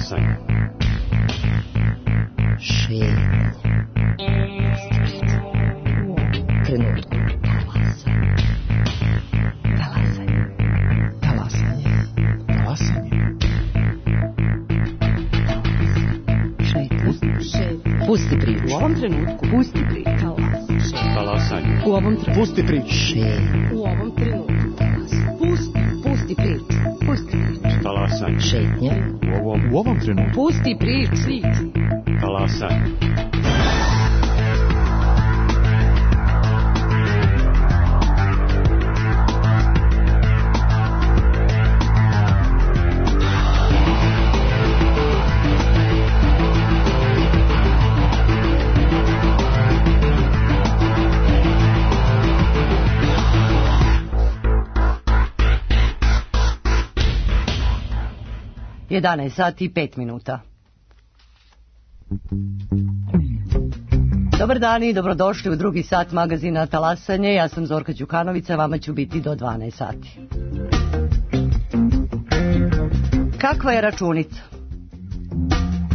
Talasanje. Šetnja. Trenutku. Talasanje. Talasanje. Talasanje. Šetnja. Pusti priču. U ovom trenutku. Pusti priču. Talasanje. U ovom trenutku. Pusti priču. Šetnja. U ovom trenutku. Pusti priču. Pusti priču. Talasanje. Šetnja. U ovom trenutku. Pusti priču. Talasanje. sati i 5 minuta. Dobar dan i dobrodošli u drugi sat magazina Talasanje. Ja sam Zorka Đukanovića, vama ću biti do 12 sati. Kakva je računica?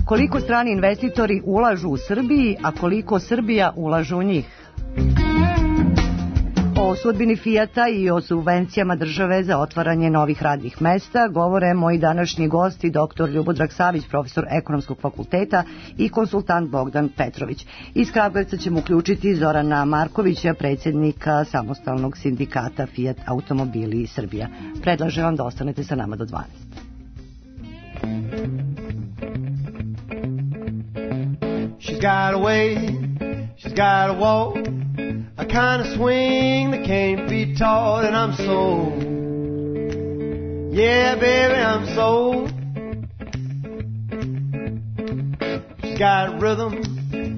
Koliko strani investitori ulažu u Srbiji, a koliko Srbija ulaže u njih? O sudbini Fijata i o subvencijama države za otvaranje novih radnih mesta govore moji današnji gosti, dr. Ljubodrag Savić, profesor Ekonomskog fakulteta i konsultant Bogdan Petrović. Iz Kragujevca ćemo uključiti Zorana Markovića, predsjednika samostalnog sindikata Fijat Automobili Srbija. Predlažem vam da ostanete sa nama do 12. She's got a way, she's got a walk, a kind of swing that can't be taught, and I'm sold. Yeah, baby, I'm sold. She's got rhythm,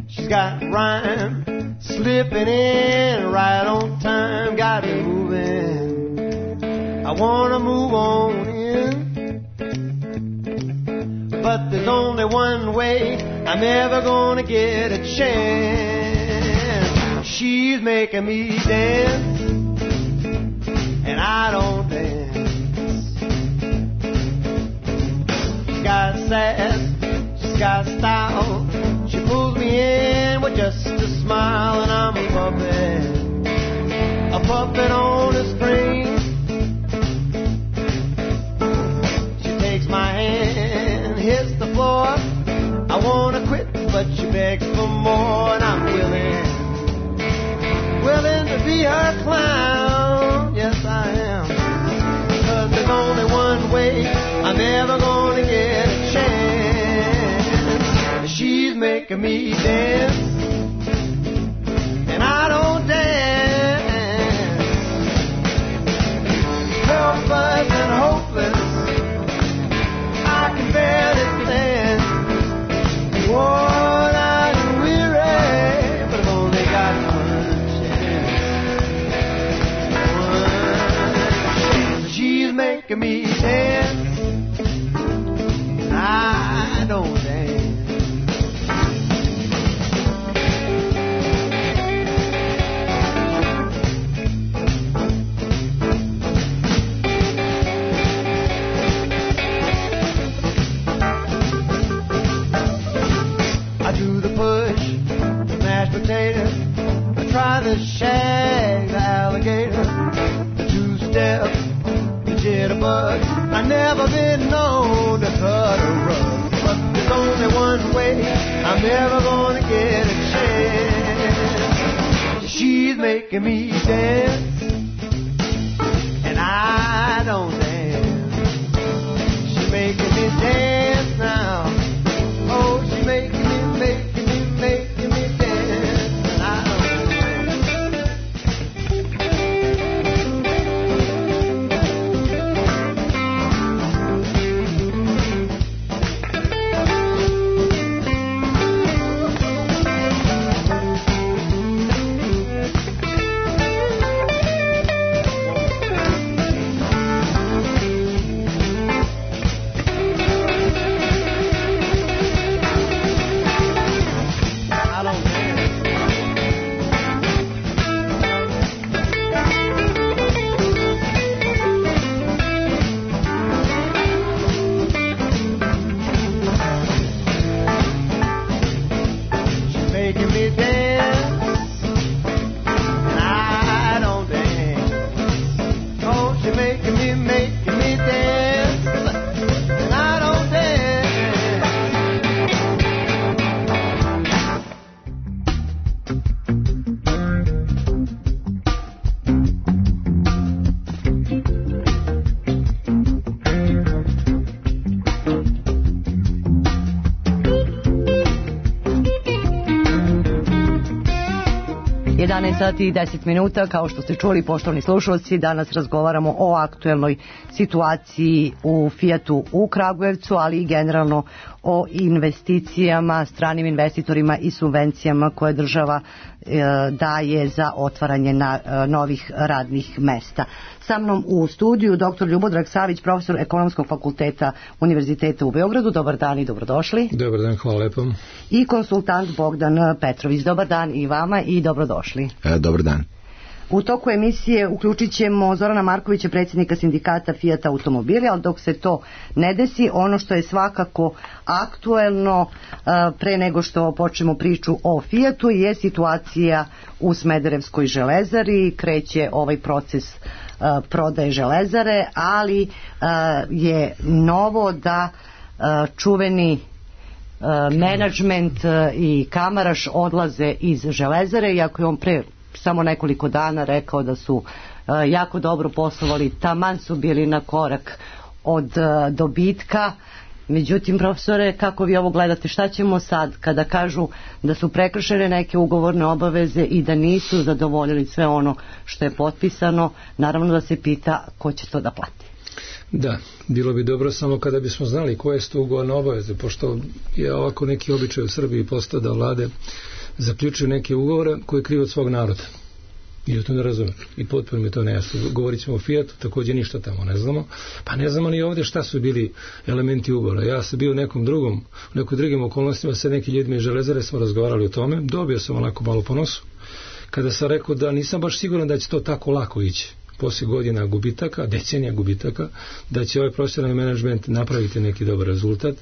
she's got rhyme, slipping in right on time, got me moving. I wanna move on in, but there's only one way I'm ever gonna get a chance. She's making me dance, and I don't dance. She's got sass, she's got style. She pulls me in with just a smile, and I'm a puppet on a string. She takes my hand, hits the floor. I wanna quit, but she begs for more, and I'm willing to be her clown. Yes, I am. 'Cause there's only one way I'm ever gonna get a chance. She's making me dance, and I don't dance. Helpless and hopeless, I can barely stand. Worn out and weary, but I've only got one chance. She's making me dance, I don't dance. I do the push, the mashed potato. I try the shag, the alligator, the two-step, the jitterbug. I've never been known to cut a rug, but there's only one way I'm never gonna get a chance. She's making me dance, and I don't dance. She's making me dance now. Oh, she's making me dance, and I don't 12 sati i 10 minuta, kao što ste čuli, poštovani slušalci, danas razgovaramo o aktuelnoj situaciji u Fijatu u Kragujevcu, ali i generalno o investicijama, stranim investitorima i subvencijama koje država daje za otvaranje novih radnih mesta. Sa mnom u studiju dr. Ljubodrag Savić, profesor Ekonomskog fakulteta Univerziteta u Beogradu. Dobar dan i dobrodošli. Dobar dan, hvala lepo. I konsultant Bogdan Petrović. Dobar dan i vama i dobrodošli. Dobar dan. U toku emisije uključit ćemo Zorana Markovića, predsjednika sindikata Fijata automobili, ali dok se to ne desi, ono što je svakako aktuelno pre nego što počnemo priču o Fijatu je situacija u Smederevskoj železari. Kreće ovaj proces prodaje železare, ali je novo da čuveni menadžment i Kamaraš odlaze iz železare, iako je on pre samo nekoliko dana rekao da su jako dobro poslovali, taman su bili na korak od dobitka. Međutim, profesore, kako vi ovo gledate, šta ćemo sad kada kažu da su prekršene neke ugovorne obaveze i da nisu zadovoljili sve ono što je potpisano? Naravno da se pita ko će to da plati. Da, bilo bi dobro samo kada bismo znali koje su to ugovorne obaveze, pošto je ovako neki običaj u Srbiji postao da vlade zaključuju neke ugovore koje kriju od svog naroda. I ja to ne razumem. I potpuno mi to nejasno. Govorit ćemo o Fijatu, također ništa tamo ne znamo. Pa ne znamo ni ovdje šta su bili elementi ugovora. Ja sam bio u nekom drugim okolnostima sa nekim ljudima iz železare, smo razgovarali o tome. Dobio sam onako malo po nosu. Kada sam rekao da nisam baš siguran da će to tako lako ići. Poslije godina gubitaka, decenija gubitaka, da će ovaj profesionalni menadžment napraviti neki dobar rezultat.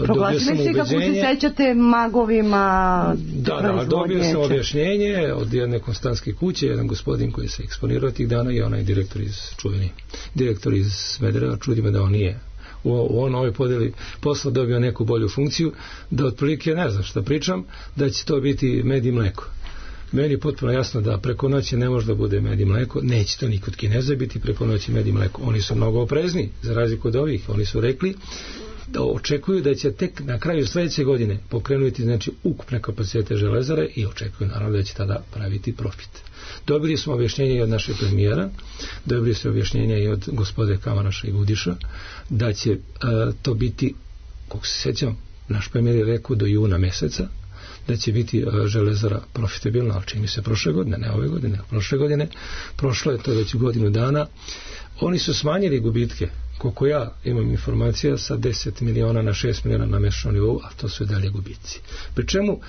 Proglasili se, kako se sećate, magovima. Da, dobio sam objašnjenje od jedne konstantske kuće, jedan gospodin koji se eksponirao tih dana i onaj direktor iz Smedereva. Čudi me da on nije u ovoj podeli posla dobio neku bolju funkciju, da otprilike ne znam šta pričam, da će to biti med i mleko. Meni je potpuno jasno da preko noći ne može da bude med i mleko, neće to nikod Kineza biti preko noći med i mleko. Oni su mnogo oprezni, za razliku od ovih. Oni su rekli da očekuju da će tek na kraju sljedeće godine pokrenuti ukupne kapacitete železare i očekuju naravno da će tada praviti profit. Dobili smo objašnjenje i od našeg premijera, dobili smo objašnjenje i od gospode Kamaraša i Gudiša da će to biti, kako se sjećam, naš premijer je rekao do juna meseca da će biti železara profitabilna, ali čini se prošle godine, ne ove godine, prošle godine, prošlo je to već godinu dana. Oni su smanjili gubitke, koliko ja imam informacija, sa 10 miliona na 6 miliona na mesečnom nivou, a to su i dalje gubici. Pri čemu,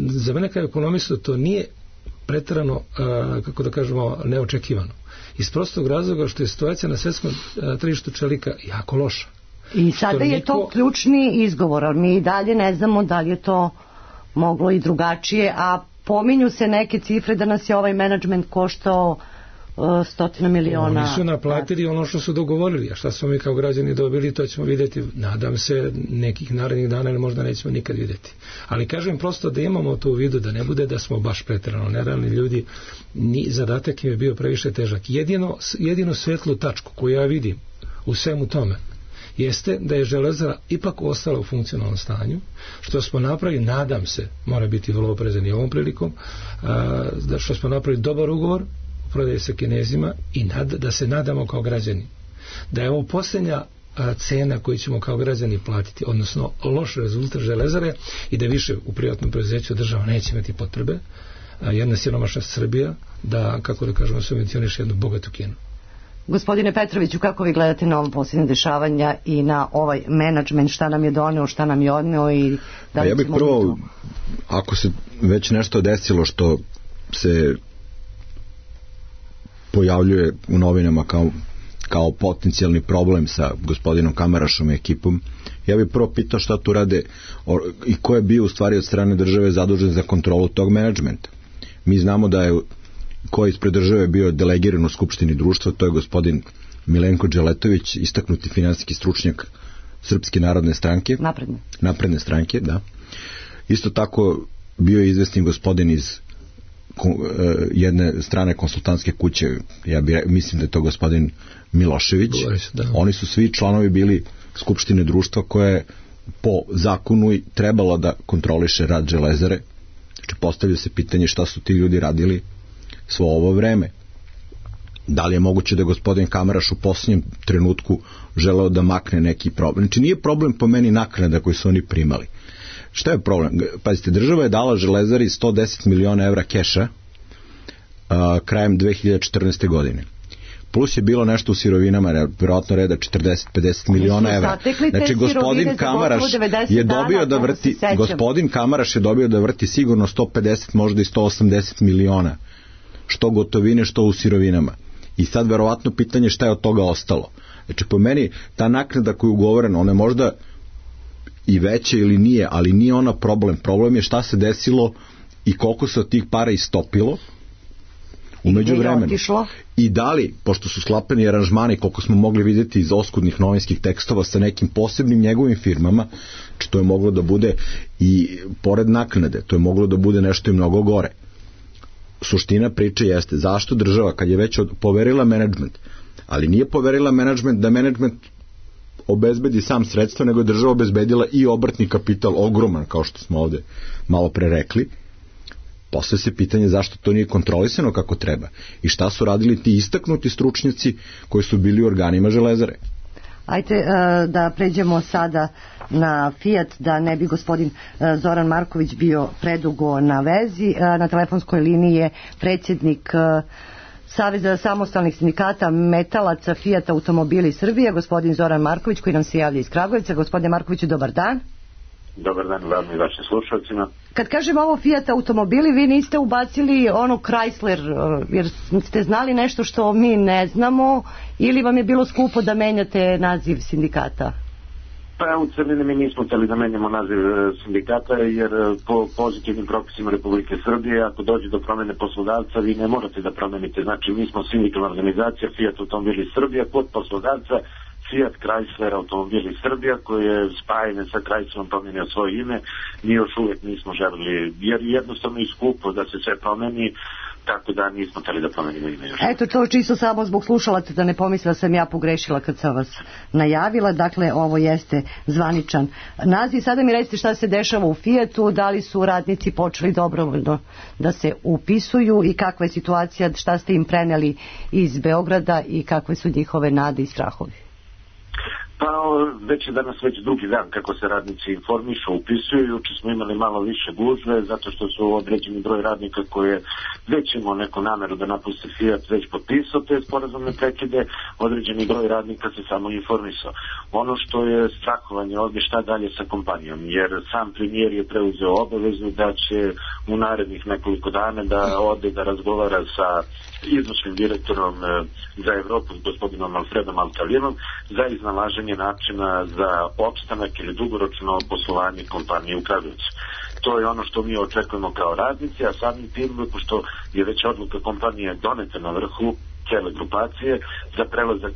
za mene kao ekonomistu to nije preterano, kako da kažemo, neočekivano. Iz prostog razloga što je situacija na svjetskom tržištu čelika jako loša. I sada je to ključni izgovor, ali mi i dalje ne znamo da li je to moglo i drugačije, a pominju se neke cifre da nas je ovaj menadžment koštao 100 miliona. Oni su naplatili ono što su dogovorili, a šta smo mi kao građani dobili, to ćemo vidjeti, nadam se, nekih narednih dana, ili možda nećemo nikad vidjeti. Ali kažem prosto da imamo to u vidu, da ne bude da smo baš preterano nerealni ljudi, ni zadatak im je bio previše težak. Jedino svetlu tačku koju ja vidim u svemu tome jeste da je železara ipak ostala u funkcionalnom stanju, što smo napravili, nadam se, mora biti vrlo oprezan i ovom prilikom, da što smo napravili dobar ugovor prodaje sa Kinezima i da se nadamo kao građani da je ovo posljednja cena koju ćemo kao građani platiti, odnosno loš rezultat železare i da više u privatnom preduzeću država neće imati potrebe, jedna siromašna Srbija, da, kako da kažemo, subvencioniše jednu bogatu Kinu. Gospodine Petroviću, kako vi gledate na ovo posljednje dešavanja i na ovaj menadžment, šta nam je doneo, šta nam je odneo i da li ja bih prvo, ako se već nešto desilo što se pojavljuje u novinama kao potencijalni problem sa gospodinom Kamarašom i ekipom, ja bih prvo pitao šta tu rade i ko je bio u stvari od strane države zadužen za kontrolu tog menadžmenta. Mi znamo da je ko je ispred države bio delegiran u Skupštini društva, to je gospodin Milenko Đeletović, istaknuti finansijski stručnjak Srpske narodne stranke. Napredne stranke, da. Isto tako bio je izvesni gospodin iz jedne strane konsultantske kuće, mislim da je to gospodin Milošević. Oni su svi članovi bili Skupštine društva koje po zakonu trebalo da kontroliše rad železare, Znači, postavlja se pitanje šta su ti ljudi radili svo ovo vreme. Da li je moguće da je gospodin Kamaraš u posljednjem trenutku želeo da makne neki problem? Znači, nije problem po meni naknada koju su oni primali. Šta je problem? Pazite, država je dala Železari 110 miliona evra keša krajem 2014. godine. Plus je bilo nešto u sirovinama, vjerojatno reda 40-50 miliona evra. Znači, gospodin Kamaraš je dobio da vrti, sigurno 150, možda i 180 miliona. Što gotovine, što u sirovinama. I sad verovatno pitanje šta je od toga ostalo. Znači, po meni ta naknada koja je ugovorena, ona je možda i veća ili nije, ali nije ona problem. Problem je šta se desilo i koliko se od tih para istopilo u međuvremenu. I da li, pošto su sklapani aranžmani, koliko smo mogli vidjeti iz oskudnih novinskih tekstova sa nekim posebnim njegovim firmama, znači to je moglo da bude i pored naknade, to je moglo da bude nešto i mnogo gore. Suština priče jeste zašto država, kad je već poverila menadžment, ali nije poverila menadžment da menadžment obezbedi sam sredstva, nego je država obezbedila i obrtni kapital ogroman, kao što smo ovde malo pre rekli. Postavlja se pitanje zašto to nije kontrolisano kako treba i šta su radili ti istaknuti stručnjaci koji su bili u organima Železare. Ajde da pređemo sada na Fiat, da ne bi gospodin Zoran Marković bio predugo na vezi. Na telefonskoj liniji je predsjednik Saveza samostalnih sindikata metalaca Fiat Automobili Srbije, gospodin Zoran Marković, koji nam se javlja iz Kragujevca. Gospodine Markoviću, dobar dan. Dobar dan vam i vašim slušalcima. Kad kažem ovo Fiat Automobili, vi niste ubacili ono Chrysler, jer ste znali nešto što mi ne znamo, ili vam je bilo skupo da menjate naziv sindikata? Pa u celini mi nismo htjeli da menjamo naziv sindikata, jer po pozitivnim propisima Republike Srbije, ako dođe do promjene poslodavca, vi ne morate da promenite. Znači, mi smo sindikalna organizacija Fiat Automobili Srbija, kod poslodavca Fiat Chrysler Automobili Srbija, koji je spajanje sa Chryslerom promijenio svoje ime. Mi još uvijek nismo želili, jer jednostavno je skupo da se sve promeni, tako da nismo htjeli da promenimo ime još. Eto, to čisto samo zbog slušalaca, da ne pomisla sam ja pogrešila kad sam vas najavila. Dakle, ovo jeste zvaničan naziv. Sada mi recite šta se dešava u Fiatu, da li su radnici počeli dobrovoljno da se upisuju i kakva je situacija, šta ste im preneli iz Beograda i kakve su njihove nade i strahovi? Pa već je danas drugi dan kako se radnici informišu, upisuju. Juče smo imali malo više gužve zato što su određeni broj radnika koji je već imao neku nameru da napusti Fiat već potpisao te sporazumne prekide, određeni broj radnika se samo informisao. Ono što je strahovanje ovdje šta dalje sa kompanijom, jer sam premijer je preuzeo obavezu da će u narednih nekoliko dana da ode da razgovara sa izvršnim direktorom za Evropu, gospodinom Alfredom Altalinom, za iznalaženje načina za opstanak ili dugoročno poslovanje kompanije u Kragujevcu. To je ono što mi očekujemo kao radnici, a samim tim, pošto je već odluka kompanije doneta na vrhu cijele grupacije za prelazak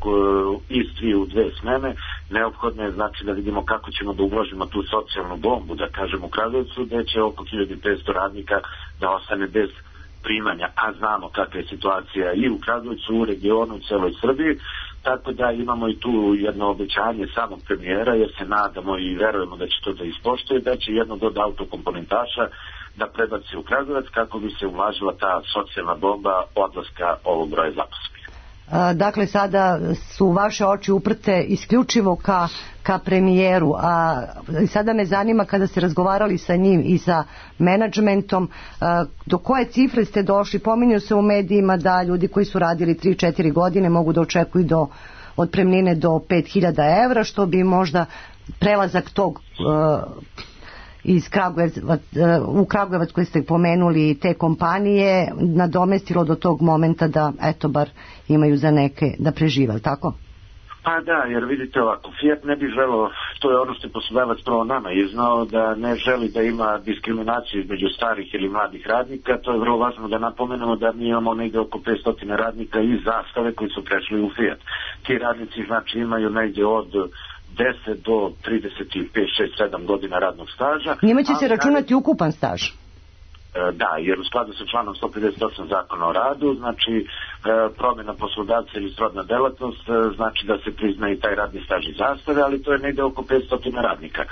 iz 3 u 2 smene, neophodno je znači da vidimo kako ćemo da uložimo tu socijalnu bombu, da kažem, u Kragujevcu, gde će oko 1500 radnika da ostane bez primanja, a znamo kakva je situacija i u Kragujevcu, u regionu, u celoj Srbiji, tako da imamo i tu jedno obećanje samog premijera, jer se nadamo i verujemo da će to da ispoštuje, da će jedno od autokomponentaša da prebaci u Kragujevac kako bi se ulažila ta socijalna bomba odlaska ovog broja zaposlenih. Dakle, sada su vaše oči uprte isključivo ka premijeru, a sada me zanima, kada ste razgovarali sa njim i sa menadžmentom, do koje cifre ste došli? Pominju se u medijima da ljudi koji su radili 3-4 godine mogu da očekuju do otpremnine do 5.000 evra, što bi možda prelazak tog iz u Kragujevac koji ste pomenuli te kompanije nadomestilo do tog momenta da eto bar imaju za neke da prežive, tako? Pa da, jer vidite ovako, Fiat ne bi želeo, to je ono što je poslodavac prvo nama iznao, da ne želi da ima diskriminaciju između starih ili mladih radnika. To je vrlo važno da napomenemo da mi imamo negdje oko 500 radnika iz Zastave koji su prešli u Fiat. Ti radnici znači imaju negdje od 10 do 35, 6, 7 godina radnog staža. Njima će se računati ukupan staž? Da, jer u skladu sa članom 158 zakona o radu, znači promjena poslodavca ili srodna delatnost, znači da se prizna i taj radni staž i zastare, ali to je negde oko 500 radnika.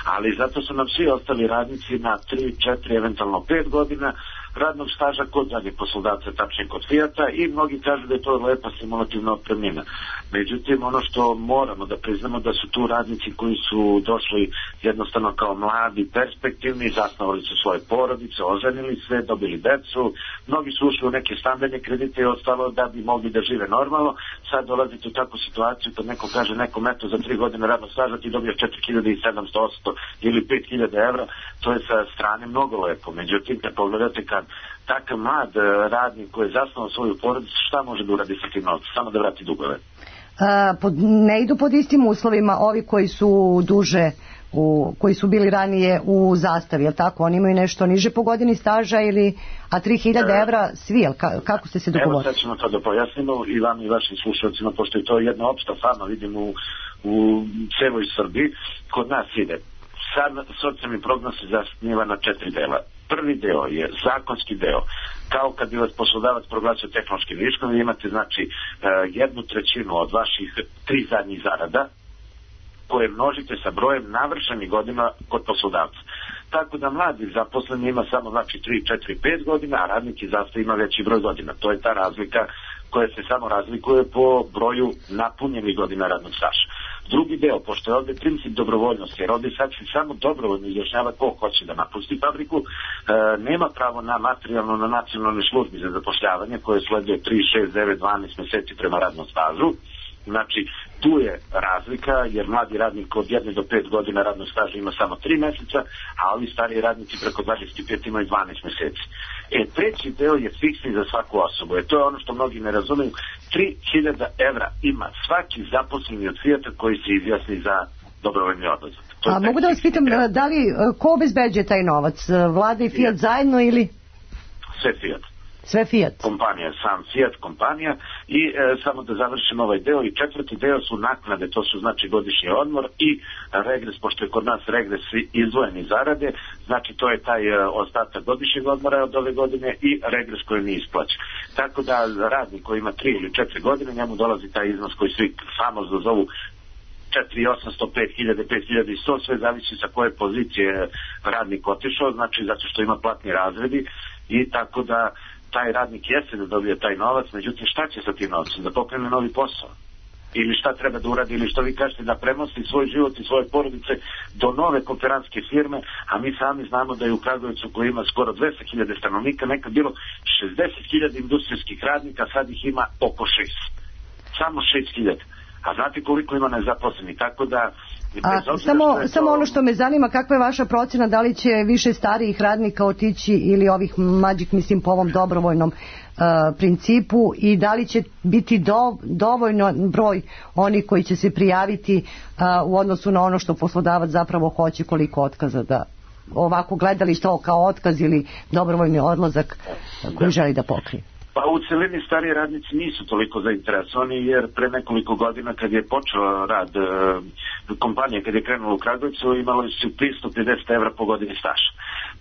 Ali zato su nam svi ostali radnici na 3, 4, eventualno 5 godina radnog staža kod zadnjeg poslodavca, tačnije kod Fijata, i mnogi kažu da je to lepa stimulativna otpremnina. Međutim, ono što moramo da priznamo da su tu radnici koji su došli jednostavno kao mladi, perspektivni, zasnovali su svoje porodice, oženili se, dobili decu, mnogi su ušli u neke stambene kredite i ostalo da bi mogli da žive normalno. Sad dolazite u takvu situaciju kad neko kaže nekom eto za 3 godine radnog staža ti dobiješ 4.700 ili 5.000 evra, to je sa strane mnogo lepo. Međutim, kad pogledate kad takav mlad radnik koji je zasnovao svoju porodicu, šta može da uradi sa tim novcem? Samo da vrati dugove. Ne idu pod istim uslovima ovi koji su duže, koji su bili ranije u zastavi, jel tako? Oni imaju nešto niže po godini staža ili, a 3.000 evra svi, jel? Kako ste se dogovorili? Evo sad ćemo to da pojasnimo i vam i vašim slušalcima, pošto je to jedna opšta fama, vidim u celoj Srbiji, kod nas ide. Sad socijalni prognoz se zasniva na 4 dela. Prvi deo je zakonski deo. Kao kad bi vas poslodavac proglasio tehnološkim viškom, vi imate znači 1/3 od vaših 3 zadnjih zarada koje množite sa brojem navršenih godina kod poslodavca. Tako da mladi zaposleni ima samo znači 3, 4, 5 godina, a radnik iz zastava ima veći broj godina. To je ta razlika koja se samo razlikuje po broju napunjenih godina radnog staža. Drugi deo, pošto je ovdje princip dobrovoljnosti, jer ovdje sad se samo dobrovoljno izjašnjava ko hoće da napusti fabriku, nema pravo na materijalno na nacionalnoj službi za zapošljavanje koje sleduje 3, 6, 9, 12 meseci prema radnom stažu. Znači, tu je razlika, jer mladi radnik od 1 do 5 godina radnog staža ima samo 3 meseca, a ovi stariji radnici preko 25 imaju 12 meseci. Treći deo je fiksni za svaku osobu. To je ono što mnogi ne razumiju. 3.000 evra ima svaki zaposleni od Fijata koji se izjasni za dobrovoljni odlazak. A mogu da vas pitam, da li, ko obezbeđuje taj novac? Vlada i Fijat zajedno ili? Sve Fijat. Sve Fijat? Kompanija, sam Fijat kompanija i samo da završim ovaj deo i četvrti deo su naknade, to su znači godišnji odmor i regres, pošto je kod nas regres izdvojeni zarade, znači to je taj ostatak godišnjeg odmora od ove godine i regres koji nije isplaćen. Tako da radnik koji ima 3 ili 4 godine, njemu dolazi taj iznos koji svi famozno zovu 4.800, 5.000, 5.100, sve zavisi sa koje pozicije radnik otišao, znači zato što ima platni razredi i tako da taj radnik jeste da dobije taj novac, međutim šta će sa tim novcem? Da pokrene novi posao? Ili šta treba da uradi, ili što vi kažete da premosti svoj život i svoje porodice do nove kooperantske firme, a mi sami znamo da je u Kragujevcu koji ima skoro 200.000 stanovnika, nekad bilo 60.000 industrijskih radnika, sad ih ima oko 6. Samo 6.000. A znate koliko ima nezaposleni, tako da... Samo ono što me zanima, kakva je vaša procjena, da li će više starijih radnika otići ili ovih mlađih, mislim po ovom dobrovoljnom principu, i da li će biti dovoljno broj onih koji će se prijaviti u odnosu na ono što poslodavac zapravo hoće, koliko otkaza, da ovako gledali to kao otkaz ili dobrovoljni odlazak koji želi da pokrije? Pa u celini stariji radnici nisu toliko zainteresovani, jer pre nekoliko godina kad je počeo rad kompanije, kad je krenula u Kragujevcu, imali su 550 evra po godini staža.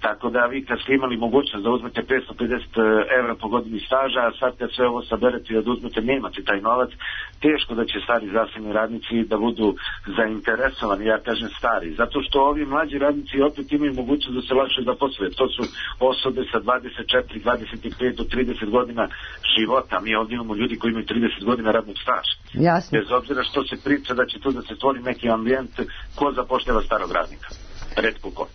Tako da vi kad ste imali mogućnost da uzmete 550 evra po godini staža, a sad kad sve ovo saberete i da uzmete, nemate taj novac, teško da će stari zdravstveni radnici da budu zainteresovani, ja kažem stari, zato što ovi mlađi radnici opet imaju mogućnost da se lakše zaposle. To su osobe sa 24, 25 do 30 godina života. Mi ovdje imamo ljudi koji imaju 30 godina radnog staža. Jasno. Bez obzira što se priča da će tu da se stvori neki ambijent, ko zapošljava starog radnika? Retko ko.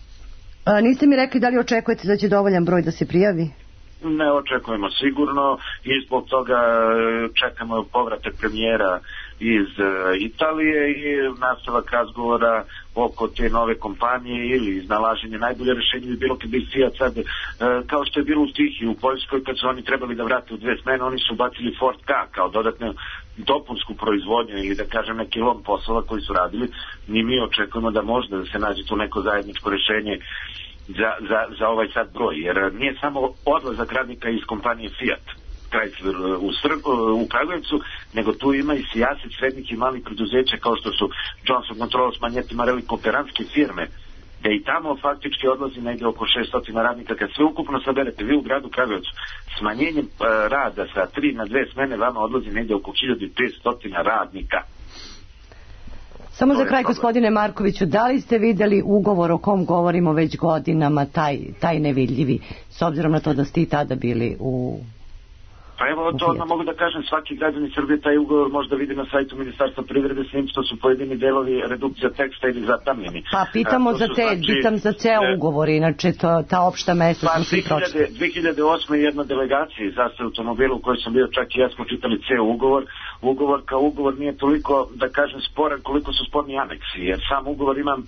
Niste mi rekli da li očekujete da će dovoljan broj da se prijavi? Ne očekujemo sigurno i zbog toga čekamo povratak premijera iz Italije i nastavak razgovora oko te nove kompanije ili iznalaženje najbolje rješenje bi bilo kad bi Fiat sad, kao što je bilo u Stihiji u Poljskoj, kad su oni trebali da vrate u 2 smene, oni su bacili Ford K kao dodatnu dopunsku proizvodnju ili da kažem neki lom poslova koji su radili. Ni mi očekujemo da možda da se nađe tu neko zajedničko rješenje za ovaj sad broj, jer nije samo odlazak radnika iz kompanije Fiat Chrysler u Kragujevcu, nego tu ima i sijaset srednjih i malih preduzeća kao što su Johnson Controls, Magneti, Marelli, kooperantske firme da i tamo faktički odlazi negdje oko 600 radnika. Kad sve ukupno saberete, vi u gradu Kragujevcu smanjenjem rada sa 3 na 2 smene vama odlazi negdje oko 1500 radnika. Samo za kraj, gospodine Markoviću, da li ste vidjeli ugovor o kom govorimo već godinama, taj nevidljivi, s obzirom na to da ste i tada bili u... Pa evo, to odmah mogu da kažem, svaki građanin Srbije taj ugovor možda vidi na sajtu Ministarstva privrede, s njim što su pojedini delovi redukcija teksta ili zatamljeni. Pa pitamo pitam za ceo ugovor, inače ta opšta mesta sam svi pročitali. 2008. jedna delegacija iz Zastave automobila u kojoj sam bio, čak i ja smo čitali ceo ugovor. Ugovor kao ugovor nije toliko, da kažem, sporan koliko su sporni aneksi, jer sam ugovor imam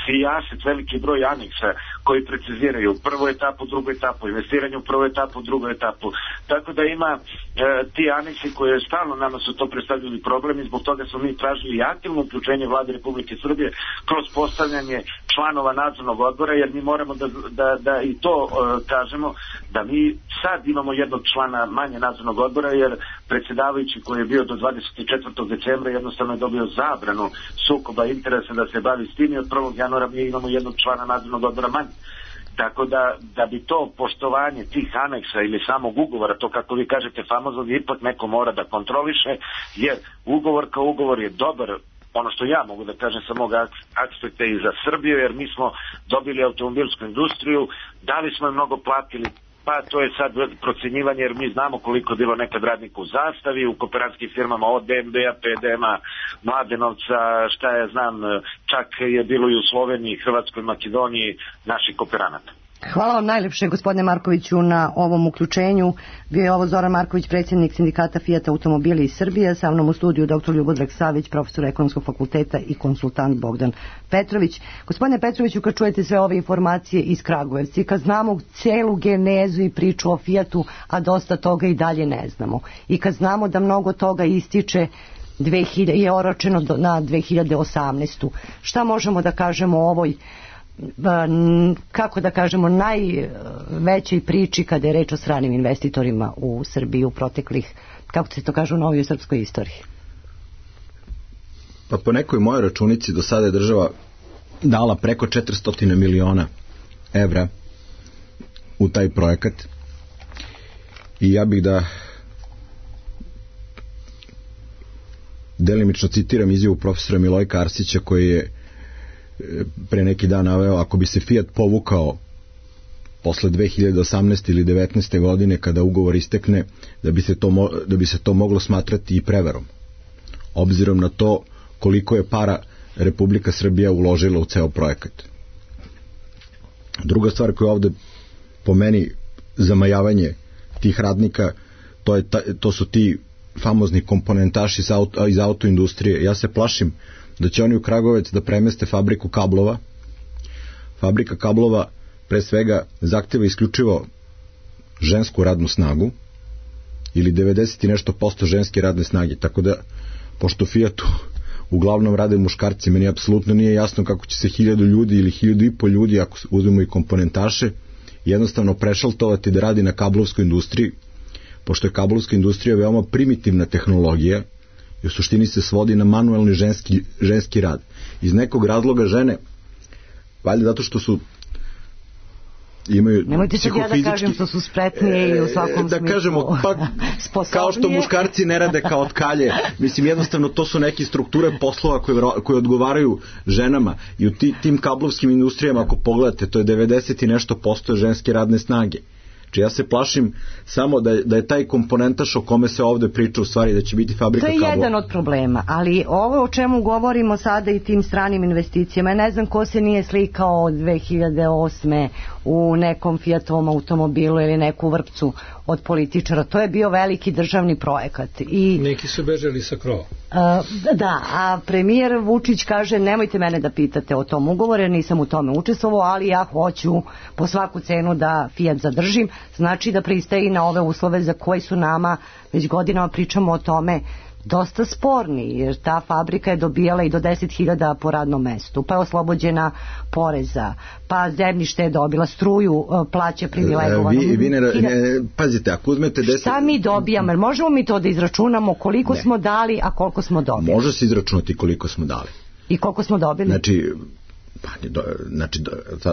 sijaset, veliki broj aneksa koji preciziraju prvu etapu, drugu etapu, investiranje u prvu etapu, drugu etapu. Tako da ima ti aneksi koje stalno nama su to predstavljali problem i zbog toga smo mi tražili aktivno uključenje Vlade Republike Srbije kroz postavljanje članova nadzornog odbora, jer mi moramo da i to kažemo, da mi sad imamo jednog člana manje nadzornog odbora, jer predsjedavajući koji je bio do 24. decembra jednostavno je dobio zabranu sukoba interesa da se bavi s tim i od 1. januara mi imamo jednog člana nadzornog odbora manje. Tako da bi to poštovanje tih aneksa ili samog ugovora, to kako vi kažete famozno, ipak neko mora da kontroliše, jer ugovor kao ugovor je dobar, ono što ja mogu da kažem sa mog aspekta i za Srbiju, jer mi smo dobili automobilsku industriju, da li smo je mnogo platili, pa to je sad procjenjivanje, jer mi znamo koliko je bilo nekad radnika u Zastavi, u kooperatskim firmama od DMB-a, PDM-a, Mladenovca, šta ja znam, čak je bilo i u Sloveniji, Hrvatskoj, Makedoniji naših kooperanata. Hvala vam najlepše, gospodine Markoviću, na ovom uključenju. Bio je ovo Zoran Marković, predsjednik sindikata Fiat Automobili iz Srbije, sa mnom u studiju dr. Ljubodrag Savić, profesor Ekonomskog fakulteta i konsultant Bogdan Petrović. Gospodine Petroviću, kad čujete sve ove informacije iz Kragujevca i kad znamo celu genezu i priču o Fiatu, a dosta toga i dalje ne znamo, i kad znamo da mnogo toga ističe je oročeno na 2018. Šta možemo da kažemo o ovoj, kako da kažemo, najvećoj priči kada je reč o stranim investitorima u Srbiji u proteklih, kako se to kaže, u novijoj srpskoj istoriji? Pa po nekoj mojoj računici do sada je država dala preko 400 miliona evra u taj projekat i ja bih da delimično citiram izjavu profesora Milojka Arsića koji je pre neki dan naveo, ako bi se Fiat povukao posle 2018. ili 19. godine kada ugovor istekne, da bi se to moglo smatrati i prevarom, obzirom na to koliko je para Republika Srbija uložila u ceo projekat. Druga stvar koja je ovde po meni zamajavanje tih radnika, to su ti famozni komponentaši iz autoindustrije. Ja se plašim da će oni u Kragujevac da premeste fabriku kablova. Fabrika kablova pre svega zahteva isključivo žensku radnu snagu ili 90 i nešto posto ženske radne snage, tako da pošto Fiatu uglavnom rade muškarci, meni apsolutno nije jasno kako će se 1000 ljudi ili 1500 ljudi, ako uzmemo i komponentaše, jednostavno prešaltovati da radi na kablovskoj industriji, pošto je kablovska industrija veoma primitivna tehnologija i u suštini se svodi na manuelni ženski rad. Iz nekog razloga žene, valjda zato što su nemojte se ja da kažem što su spretnije i u svakom da smislu kažemo, pa, kao što muškarci ne rade kao tkalje, mislim jednostavno to su neke strukture poslova koje odgovaraju ženama i u tim kablovskim industrijama ako pogledate to je 90 i nešto posto ženske radne snage. Znači ja se plašim samo da je taj komponentaš o kome se ovde priča u stvari da će biti fabrika kablova. To je jedan od problema, ali ovo o čemu govorimo sada i tim stranim investicijama, ne znam ko se nije slikao od 2008. u nekom Fiatovom automobilu ili neku vrpcu od političara, to je bio veliki državni projekat. I neki su bežali sa krova. Da, a premijer Vučić kaže nemojte mene da pitate o tom ugovoru jer nisam u tome učestvovao, ali ja hoću po svaku cenu da Fiat zadržim, znači da pristaje na ove uslove za koje su nama već godinama pričamo o tome dosta sporni, jer ta fabrika je dobijala i do 10.000 po radnom mestu, pa je oslobođena poreza, pa zemljište je dobila, struju plaća privilegovano. Pazite, ako uzmete 10... Šta mi dobijamo? Jer možemo mi to da izračunamo koliko smo dali, a koliko smo dobili? Može se izračunati koliko smo dali. I koliko smo dobili? Znači, Pa, znači,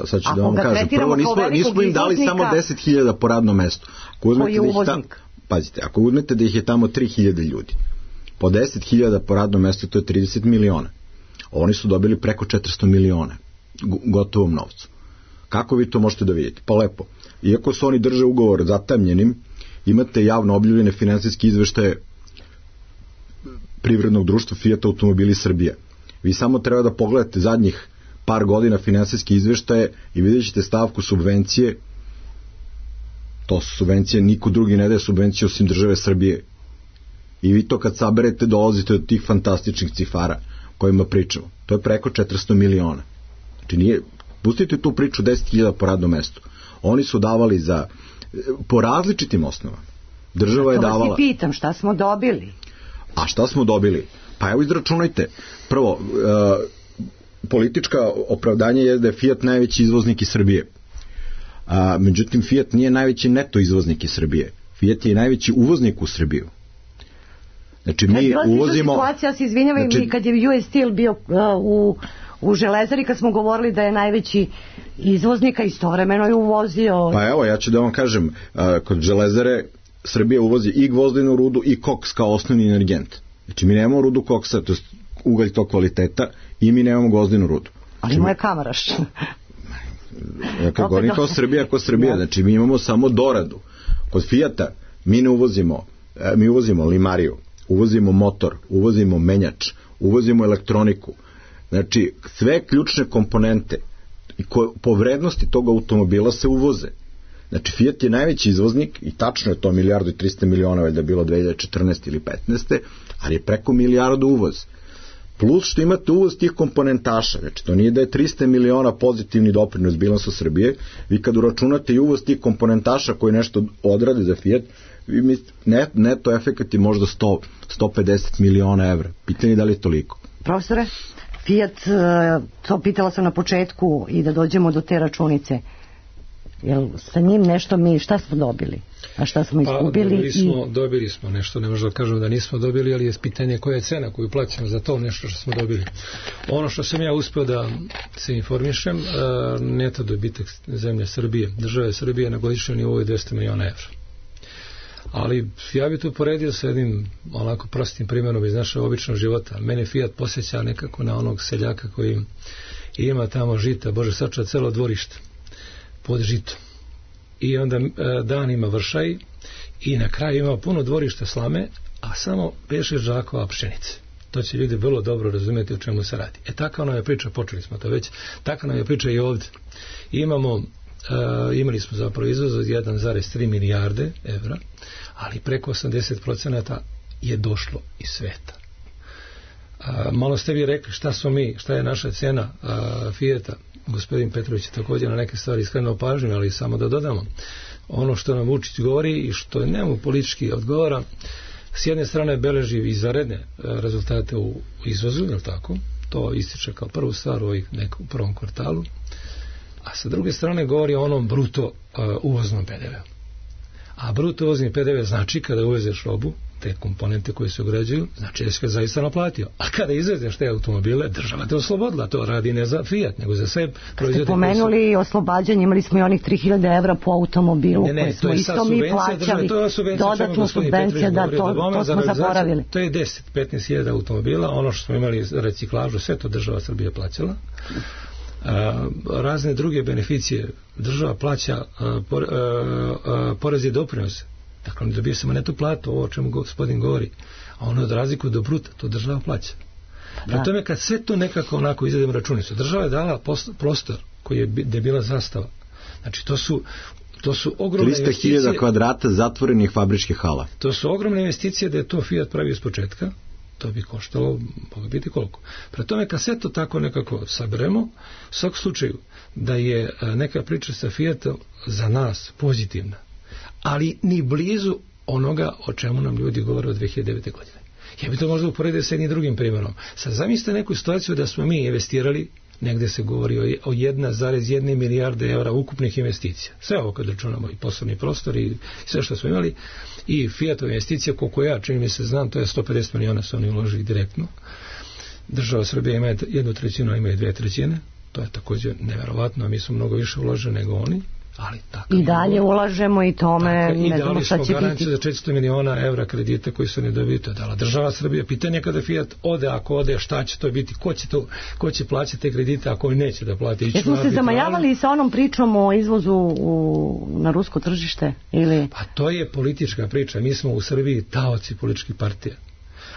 sad ću da vam kažem. Prvo, nismo im dali samo 10.000 po radnom mestu. Koji je uvoznik? Pazite, ako uzmete da ih je tamo 3.000 ljudi, po 10.000 po radnom mestu, to je 30 miliona. Oni su dobili preko 400 miliona gotovom novcu. Kako vi to možete da vidite? Pa lepo. Iako su oni drže ugovor zatamljenim, imate javno objavljene finansijske izveštaje privrednog društva Fiat Automobili Srbija. Vi samo treba da pogledate zadnjih par godina finansijske izveštaje i vidjet ćete stavku subvencije. To su subvencije, niko drugi ne daje subvencije osim države Srbije. I vi to kad saberete dolazite do tih fantastičnih cifara kojima pričamo. To je preko 400 miliona. Znači nije, pustite tu priču 10.000 po radnom mestu. Oni su davali po različitim osnovama. Država je davala. To vas i pitam, šta smo dobili? A šta smo dobili? Pa evo izračunajte. Prvo, politička opravdanje je da je Fiat najveći izvoznik iz Srbije. Međutim, Fiat nije najveći neto izvoznik iz Srbije. Fiat je najveći uvoznik u Srbiju. Znači, mi uvozimo... Situacija, ja se izvinjavam, znači, kad je US Steel bio u Železari, kad smo govorili da je najveći izvoznika, istovremeno je uvozio... Pa evo, ja ću da vam kažem, kod Železare Srbija uvozi i gvozdenu rudu i koks kao osnovni energent. Znači, mi nemamo rudu koksa, to je ugalj tog kvaliteta, i mi nemamo gvozdenu rudu. Ali moje Kamaraš. Kad govorim kao Srbija, znači mi imamo samo doradu. Kod Fijata mi ne uvozimo, mi uvozimo limariju, uvozimo motor, uvozimo menjač, uvozimo elektroniku. Znači, sve ključne komponente po vrednosti tog automobila se uvoze. Znači, Fiat je najveći izvoznik i tačno je to 1.300 miliona valjda bilo 2014. ili 2015. ali je preko 1 milijardu uvoz. Plus što imate uvoz tih komponentaša, znači to nije da je 300 miliona pozitivni doprinos bilansu Srbije, vi kad uračunate i uvoz tih komponentaša koji nešto odrade za Fiat, vi mislite, neto efekat je možda 150 miliona evra. Pitanje je da li je toliko. Profesore, Fiat, to pitala sam na početku i da dođemo do te računice. Jel sa njim nešto šta smo dobili? A šta smo izgubili? Dobili smo nešto, ne možemo da kažemo da nismo dobili, ali je pitanje koja je cena koju plaćamo za to nešto što smo dobili. Ono što sam ja uspio da se informišem, neto dobitak zemlje Srbije, države Srbije na godišnjem nivou je 200 miliona evra. Ali ja bih to poredio sa jednim onako prostim primjerom iz našeg običnog života. Mene Fiat posjeća nekako na onog seljaka koji ima tamo žita, Bože sačuva, celo dvorište pod žitom. I onda danima vršaj i na kraju ima puno dvorišta slame, a samo 5-6 žakova pšenice. To će ljudi vrlo dobro razumjeti o čemu se radi. Taka nam je priča, počeli smo to već, taka nam je priča i ovdje. Imali smo zapravo izvoz od 1,3 milijarde evra, ali preko 80% je došlo iz sveta. Malo ste vi rekli šta je naša cena Fijata. Gospodin Petrović je također na neke stvari skrenuo pažnju, ali samo da dodamo. Ono što nam Vučić govori i što njemu politički odgovara, s jedne strane beleži izvanredne rezultate u izvozu, je li tako? To ističe kao prvu stvar u nekom prvom kvartalu. A sa druge strane govori o onom bruto uvoznom PDV-u. A bruto uvozni PDV znači kada uvezeš robu, te komponente koje se ugrađuju, znači da si ga zaista naplatio. A kada izvezeš te automobile, država te oslobodila. To radi ne za Fiat, nego za sve proizvode. Ste pomenuli oslobađanje, imali smo i onih 3.000 evra po automobilu, koje smo isto mi plaćali. Dodatnu subvenciju, da, to smo zaboravili. To je 10-15.000 automobila, ono što smo imali reciklažu, sve to država Srbije plaćala. Razne druge beneficije država plaća porez i doprinose. Dakle, ne dobije samo netu platu, ovo o čemu gospodin govori, a ono od razliku do bruta, to država plaća. Prema tome, kad sve to nekako onako izvedemo računicu, država je dala prostor koji je bila zastava. Znači, to su ogromne investicije. 300.000 kvadrata zatvorenih fabričkih hala. To su ogromne investicije da je to Fiat pravio iz početka. To bi koštalo, mogu biti koliko. Prema tome, kad sve to tako nekako saberemo, u svakom slučaju, da je neka priča sa Fiatom za nas pozitivna, ali ni blizu onoga o čemu nam ljudi govore od 2009. godine. Ja bi to možda uporedio sa jednim drugim primjerom. Sad zamislite neku situaciju da smo mi investirali, negdje se govori o 1,1 milijarde evra ukupnih investicija. Sve ovo kad računamo i poslovni prostor i sve što smo imali, i Fiatove investicije, koliko ja čini mi se znam, to je 150 miliona su oni uložili direktno. Država Srbije ima 1/3, ima 2/3. To je također neverovatno, mi smo mnogo više uložili nego oni, ali tako. I dalje ulažemo i tome ne znamo šta će biti. I dali smo garanciju za 400 miliona evra kredita koji su nedobiti. To je dala država Srbije. Pitanje je kada Fiat ode, ako ode, šta će to biti, ko će plaćati te kredite, ako oni neće da plati. Jesmo se zamajavali sa onom pričom o izvozu na rusko tržište? Ili? Pa to je politička priča. Mi smo u Srbiji taoci političkih partija.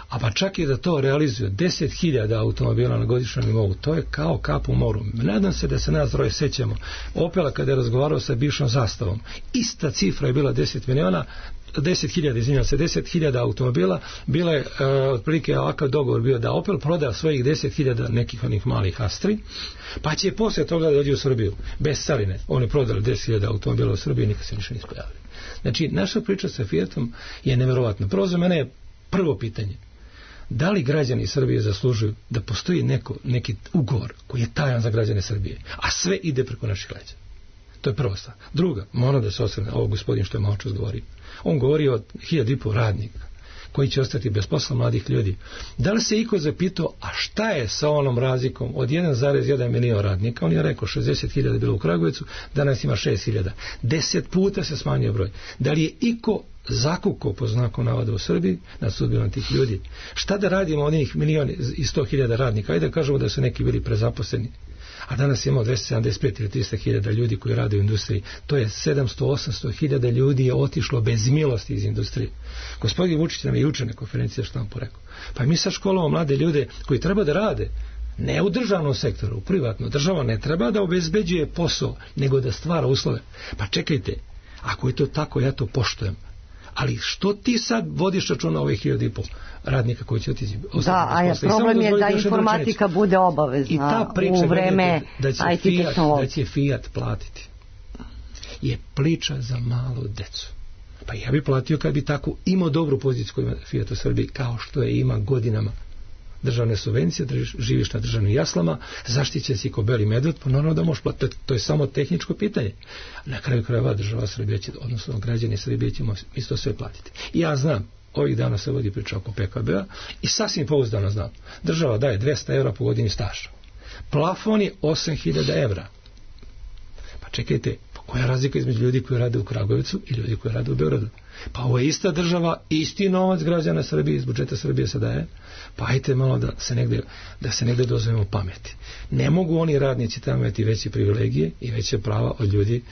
A pa čak i da to realizuje 10.000 automobila na godišnjem nivou, to je kao kap u moru. Nadam se da se nas troje sećamo. Opela kada je razgovarao sa bivšom Zastavom, ista cifra je bila 10.000 automobila, bila je otprilike ovakav dogovor bio da Opel proda svojih 10.000 nekih onih malih Astri, pa će poslije toga da dođe u Srbiju bez carine. Oni prodali 10.000 automobila u Srbiji i nikad se ništa nisu pojavili. Znači, naša priča sa Fiatom je neverovatna. Prvo za mene je prvo pitanje: da li građani Srbije zaslužuju da postoji neki ugovor koji je tajan za građane Srbije, a sve ide preko naših leđa? To je prva stvar. Druga, moram da se osvrne, ovo gospodin što je malo čas govorio. On govori o 1.500 radnika koji će ostati bez posla, mladih ljudi. Da li se iko zapitao, a šta je sa onom razlikom od 1,1 milion radnika? On je rekao 60.000 bilo u Kragujevcu, danas ima 6.000. 10 puta se smanjio broj. Da li je iko zakukao po znaku navoda u Srbiji nad sudbinom tih ljudi? Šta da radimo od njih 1.100.000 radnika? Ajde da kažemo da su neki bili prezaposleni, a danas imamo 275 ili 300.000 ljudi koji rade u industriji. To je 700-800.000 ljudi je otišlo bez milosti iz industrije. Gospodin Vučić nam je juče na konferenciji štampu rekao, pa mi sad školujemo mlade ljude koji treba da rade ne u državnom sektoru, u privatno. Država ne treba da obezbeđuje posao, nego da stvara uslove. Pa čekajte, ako je to tako, ja to poštujem. Ali što ti sad vodiš računa ovih 1.500 radnika koji će otići? Da, a problem je da informatika bude obavezna i ta priča u vreme IT tehnologije. Da će Fiat platiti je priča za malu decu. Pa ja bi platio kad bi tako imao dobru poziciju koju ima Fiat u Srbiji, kao što je ima godinama. Državne subvencije, živiš na državnim jaslama, zaštićen si ko beli medved, pa normalno da možeš platiti. To je samo tehničko pitanje. Na kraju krajeva država Srbije će, odnosno građani Srbije ćemo isto sve platiti. I ja znam, ovih dana se vodi priča oko PKB-a i sasvim pouzdano znam. Država daje 200 evra po godini staža. Plafon je 8.000 evra. Pa čekajte, koja je razlika između ljudi koji rade u Kragujevcu i ljudi koji rade u Beogradu? Pa ovo je ista država, isti novac građana Srbije iz budžeta Srbije se daje. Pa ajte malo da se negde dozovemo pameti. Ne mogu oni radnici tamo imati veće privilegije i veće prava od ljudi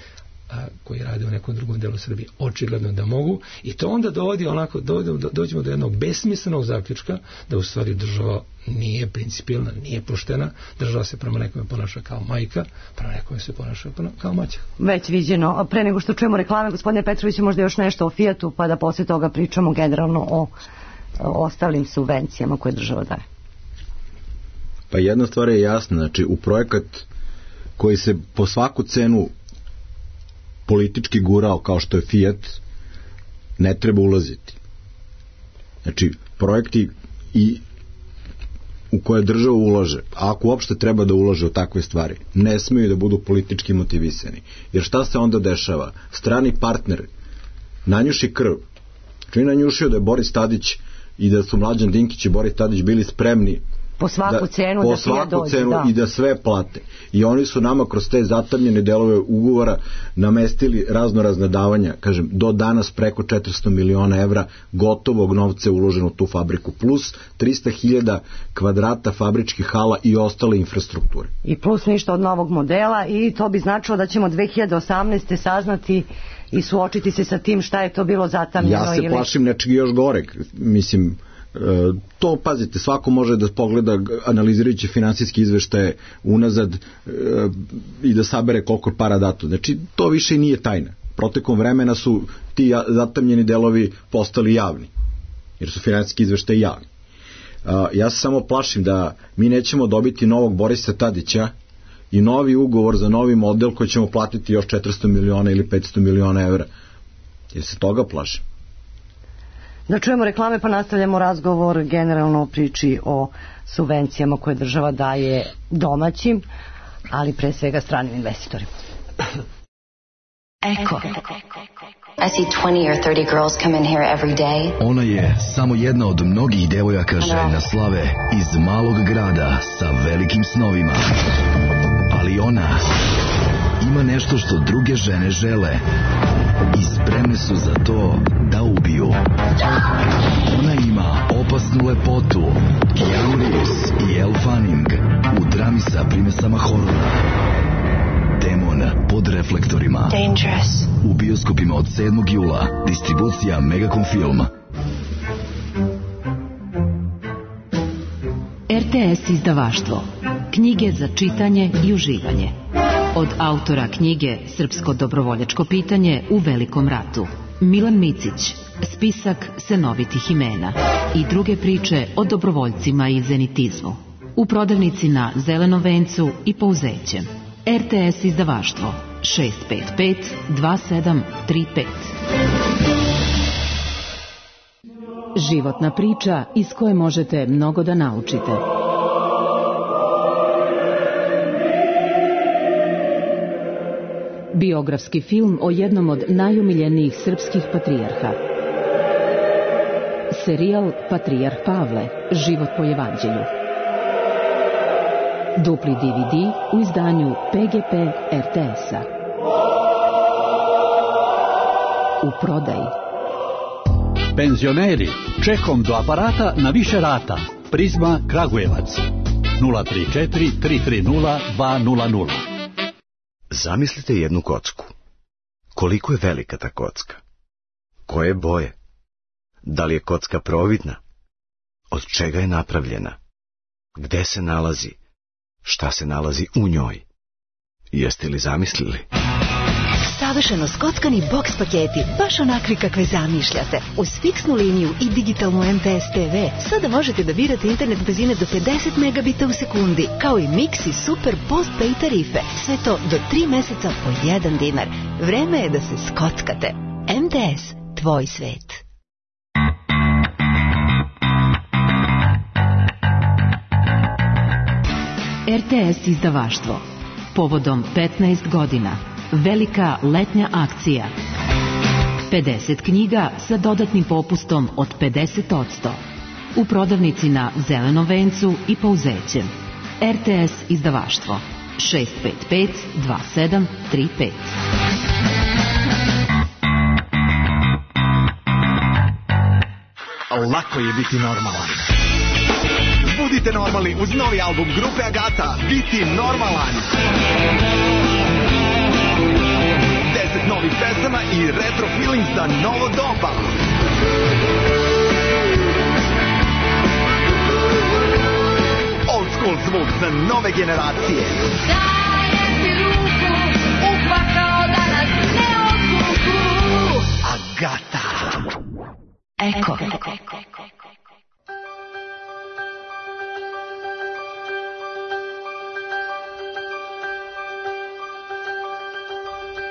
koji rade u nekom drugom delu Srbije. Očigledno da mogu, i to onda dođemo do jednog besmislenog zaključka da u stvari država nije principijelna, nije poštena. Država se prema nekome ponaša kao majka, prema nekome se ponaša kao maćeha. Već viđeno. Pre nego što čujemo reklame, gospodine Petrović, možda još nešto o Fiatu, pa da posle toga pričamo generalno o ostalim subvencijama koje država daje. Pa jedna stvar je jasna, znači u projekat koji se po svaku cenu politički gurao kao što je Fiat, ne treba ulaziti. Znači projekti u koje država ulaže, a ako uopšte treba da ulaže u takve stvari, ne smeju da budu politički motivisani. Jer šta se onda dešava? Strani partner nanjuši krv. Čini nanjušio da je Boris Tadić i da su Mlađan Dinkić i Boris Tadić bili spremni po svaku cenu i da sve plate. I oni su nama kroz te zatamljene delove ugovora namestili raznorazna davanja, kažem, do danas preko 400 miliona evra gotovog novca uloženo u tu fabriku, plus 300.000 kvadrata fabričkih hala i ostale infrastrukture. I plus ništa od novog modela, i to bi značilo da ćemo 2018. saznati i suočiti se sa tim šta je to bilo zatamljeno. Ja se plašim nečeg još goreg. Mislim, to, pazite, svako može da pogleda analizirajući finansijski izveštaje unazad i da sabere koliko para dato. Znači, to više nije tajna. Protekom vremena su ti zatamljeni delovi postali javni, jer su finansijski izveštaje javni. Ja se samo plašim da mi nećemo dobiti novog Borisa Tadića i novi ugovor za novi model koji ćemo platiti još 400 miliona ili 500 miliona evra. Jer se toga plašim. Da čujemo reklame, pa nastavljamo razgovor generalno o priči o subvencijama koje država daje domaćim, ali pre svega stranim investitorima. Eko. I see 20 or 30 girls come in here every day. Ona je samo jedna od mnogih devojaka željna slave iz malog grada sa velikim snovima. ali ona ima nešto što druge žene žele i spremne su za to da ubiju. Ona ima opasnu lepotu, Keanu Reeves i Elle Fanning u drami sa primesama horora. Demon pod reflektorima. Dangerous. U bioskopima od 7. jula. Distribucija Megacom Film. RTS izdavaštvo. Knjige za čitanje i uživanje. Od autora knjige Srpsko dobrovoljačko pitanje u Velikom ratu. Milan Micić. Spisak senovitih imena. I druge priče o dobrovoljcima i zenitizmu. U prodavnici na Zelenom vencu i Pouzećem. RTS izdavaštvo 655 2735. Životna priča iz koje možete mnogo da naučite. Biografski film o jednom od najomiljenijih srpskih patrijarha. Serijal Patrijarh Pavle, život po evanđelju. Dupli DVD u izdanju PGP RTS-a. U prodaji. Penzioneri, čekom do aparata na više rata. Prizma Kragujevac 034 330 200. Zamislite jednu kocku. Koliko je velika ta kocka? Koje boje? Da li je kocka providna? Od čega je napravljena? Gde se nalazi? Šta se nalazi u njoj? Jeste li zamislili? Savršeno skockani boks paketi, baš onakvi kakve zamišljate. Uz fiksnu liniju i digitalnu MTS TV sada možete da birate internet brzine do 50 megabita u sekundi, kao i mix i super post-pay tarife. Sve to do 3 meseca po 1 dinar. Vreme je da se skockate. MTS, tvoj svet. RTS izdavaštvo. Povodom 15 godina. Velika letnja akcija. 50 knjiga sa dodatnim popustom od 50%. U prodavnici na Zelenom vencu i Pouzećem. RTS izdavaštvo 655 2735. Lako je biti normalan. Budite normalni uz novi album grupe Agata, Biti normalan. 10 novih pesama i retro feeling za novo doba. Old school zvuk za nove generacije. Dajem ti ruku, upakao da nas ne odvuku. Agata. Eko.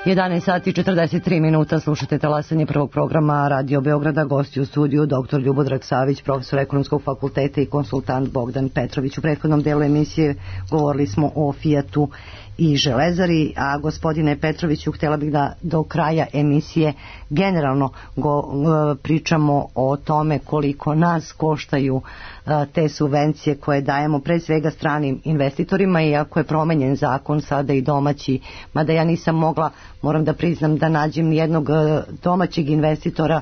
11 sati 43 minuta, slušate talasanje prvog programa Radio Beograda, gosti u studiju dr. Ljubodrag Savić, profesor Ekonomskog fakulteta i konsultant Bogdan Petrović. U prethodnom delu emisije govorili smo o Fijatu i Železari, a gospodine Petroviću, htjela bih da do kraja emisije generalno pričamo o tome koliko nas koštaju te subvencije koje dajemo pre svega stranim investitorima, iako je promenjen zakon sada i domaći, mada ja nisam mogla, moram da priznam, da nađem nijednog domaćeg investitora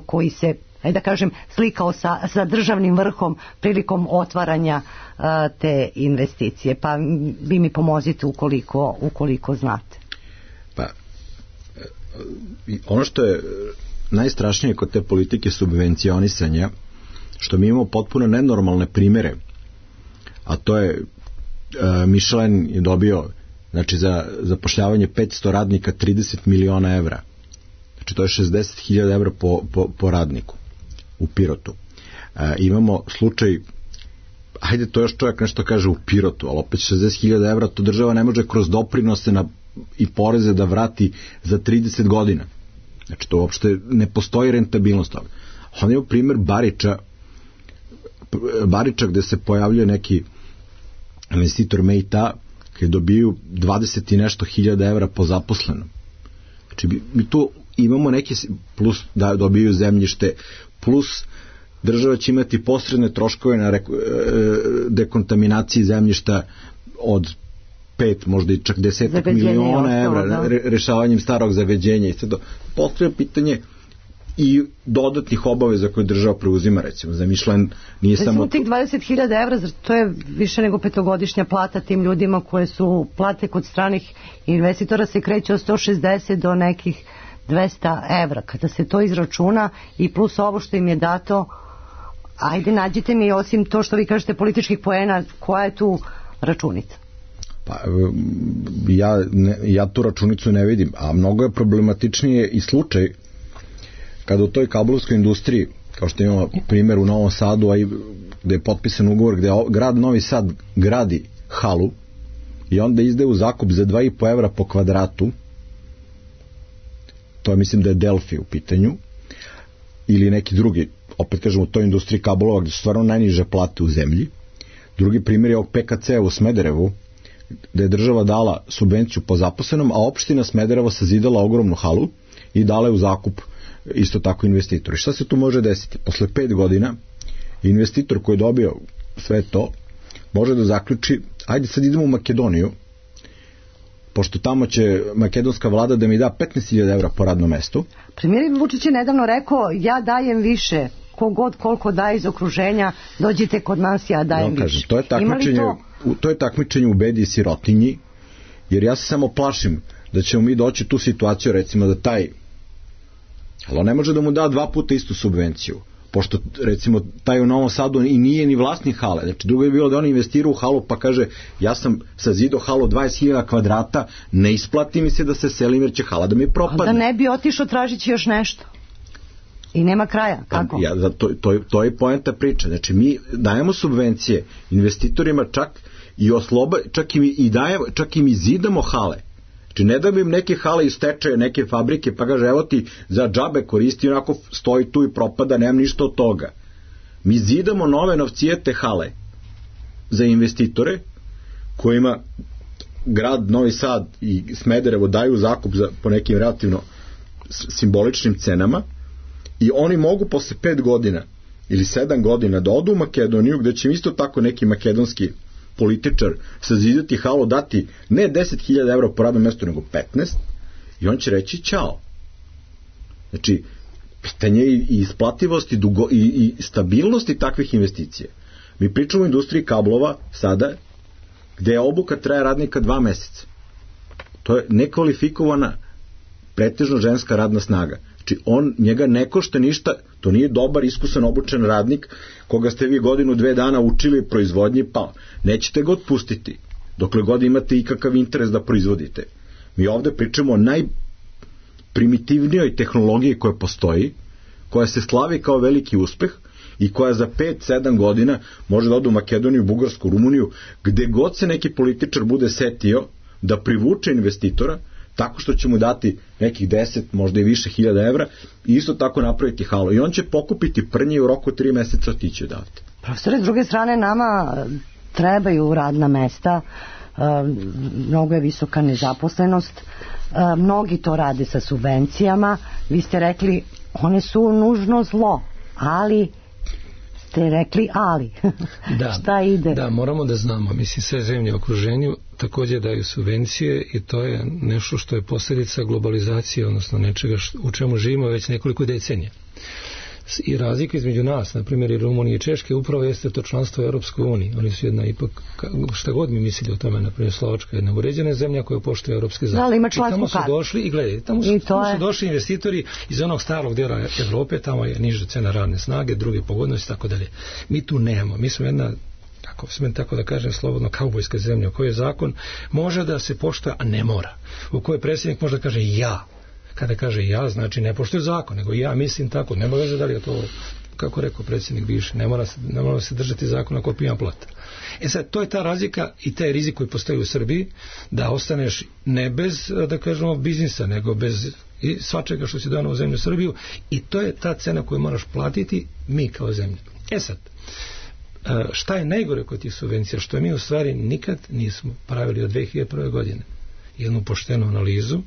koji se, da kažem, slikao sa državnim vrhom prilikom otvaranja te investicije. Pa vi mi pomozite ukoliko znate. Pa, ono što je najstrašnije kod te politike subvencionisanja, što mi imamo potpuno nenormalne primere, a to je Michelin je dobio, znači, za zapošljavanje 500 radnika 30 miliona evra. Znači to je 60.000 evra po radniku u Pirotu. Imamo slučaj, hajde to još čovjek nešto kaže u Pirotu, ali opet 60.000 evra to država ne može kroz doprinose i poreze da vrati za 30 godina. Znači to uopšte ne postoji rentabilnost toga. On je u primjer Bariča gde se pojavljuje neki investitor Mejta koji dobiju 20 i nešto hiljada evra po zaposlenom. Znači mi tu imamo neki, plus da dobiju zemljište, plus država će imati posredne troškove na dekontaminaciji zemljišta od 5, možda i čak 10 miliona evra rešavanjem starog zagađenja i sve to. Postoje pitanje i dodatnih obaveza koje država preuzima, recimo za Michelin nije samo... Tih 20.000 evra, to je više nego 5-godišnja plata tim ljudima koje su plate kod stranih investitora se kreće od 160 do nekih 200 evra. Kada se to izračuna i plus ovo što im je dato, ajde nađite mi, osim to što vi kažete političkih poena, koja je tu računica? Pa, ja tu računicu ne vidim, a mnogo je problematičnije i slučaj kada u toj kablovskoj industriji, kao što imamo primjer u Novom Sadu, a i gde je potpisan ugovor gde grad Novi Sad gradi halu i onda izdaje u zakup za 2,5 evra po kvadratu, to je, mislim da je Delfi u pitanju, ili neki drugi, opet kažem, u toj industriji kablova gde su stvarno najniže plate u zemlji. Drugi primjer je ovog PKC u Smederevu, gde je država dala subvenciju po zaposlenom, a opština Smederevo sazidala ogromnu halu i dala je u zakup isto tako investitori. Šta se tu može desiti? Posle 5 godina investitor koji je dobio sve to može da zaključi, ajde sad idemo u Makedoniju, pošto tamo će makedonska vlada da mi da 15.000 evra po radnom mestu. Premijer Vučić je nedavno rekao, ja dajem više, kogod koliko daje iz okruženja, dođite kod nas, ja dajem više. Kažem, to je takmičenje u bedi i sirotinji, jer ja se samo plašim da ćemo mi doći tu situaciju, recimo da taj, ali on ne može da mu da 2 puta istu subvenciju, pošto recimo taj u Novom Sadu i nije ni vlasnik hale. Znači drugo je bilo da on investira u halu pa kaže ja sam sazidao halu 20.000 kvadrata, ne isplati mi se da se selim jer će hala da mi propadne. Da ne bi otišao tražići još nešto. I nema kraja. Kako? To je poenta priče. Znači mi dajemo subvencije investitorima čak im i zidamo hale. Znači ne da bi im neke hale iz tečaje, neke fabrike, pa kaže evo ti za džabe koristi, onako stoji tu i propada, nemam ništa od toga. Mi zidamo nove novcijete hale za investitore kojima grad Novi Sad i Smederevo daju zakup po nekim relativno simboličnim cenama i oni mogu posle 5 godina ili 7 godina da odu u Makedoniju gde će isto tako neki makedonski političar sazidati halu, dati ne 10.000 evra po radnom mestu, nego 15 i on će reći ćao. Znači, pitanje i isplativosti i stabilnosti takvih investicija. Mi pričamo o industriji kablova sada, gde obuka traje radnika 2 meseca. To je nekvalifikovana, pretežno ženska radna snaga. Znači, njega ne košta ništa, to nije dobar, iskusan, obučen radnik koga ste vi 1-2 dana učili proizvodnji, pa nećete ga otpustiti dokle god imate ikakav interes da proizvodite. Mi ovde pričamo o najprimitivnijoj tehnologiji koja postoji, koja se slavi kao veliki uspeh i koja za 5-7 godina može da ode u Makedoniju, Bugarsku, Rumuniju, gde god se neki političar bude setio da privuče investitora, tako što će mu dati nekih 10, možda i više hiljada evra i isto tako napraviti halu. I on će pokupiti prnje i u roku 3 meseca otići odavde. Profesore, s druge strane, nama trebaju radna mesta, mnogo je visoka nezaposlenost, mnogi to rade sa subvencijama, vi ste rekli, one su nužno zlo, ali ste rekli ali. Šta ide? Da, moramo da znamo, mislim, sve zemlje u okruženju također daju subvencije i to je nešto što je posljedica globalizacije, odnosno nečega u čemu živimo već nekoliko decenija. I razlika između nas, na primjer i Rumunije i Češke, upravo jeste to članstvo u Europskoj uniji. Oni su jedna ipak, šta god mi mislili o tome, na primjer Slovačka je jedna uređena zemlja koja poštuje europske zakone. Da, ali ima člansku kartu. I tamo su došli, i gledajte, tamo su došli investitori iz onog starog dela Evrope, tamo je niža cena radne snage, druge pogodnosti, tako dalje. Mi tu nemamo, mi smo jedna, ako smem tako da kažem slobodno, kaubojska zemlja u kojoj zakon može da se poštuje, a ne mora. U kojoj predsjednik može da kaže ja. Kada kaže ja, znači ne poštuje zakon, nego ja mislim tako, nema veze da li je to, kako rekao predsjednik bivši, ne mora se držati zakona ko pijan plata. Sad, to je ta razlika i taj rizik koji postoji u Srbiji, da ostaneš ne bez, da kažemo, biznisa, nego bez svačega što si donao u zemlju Srbiju, i to je ta cena koju moraš platiti mi kao zemlja. Sad, šta je najgore kod tih subvencija? Što mi u stvari nikad nismo pravili od 2001. godine jednu poštenu analizu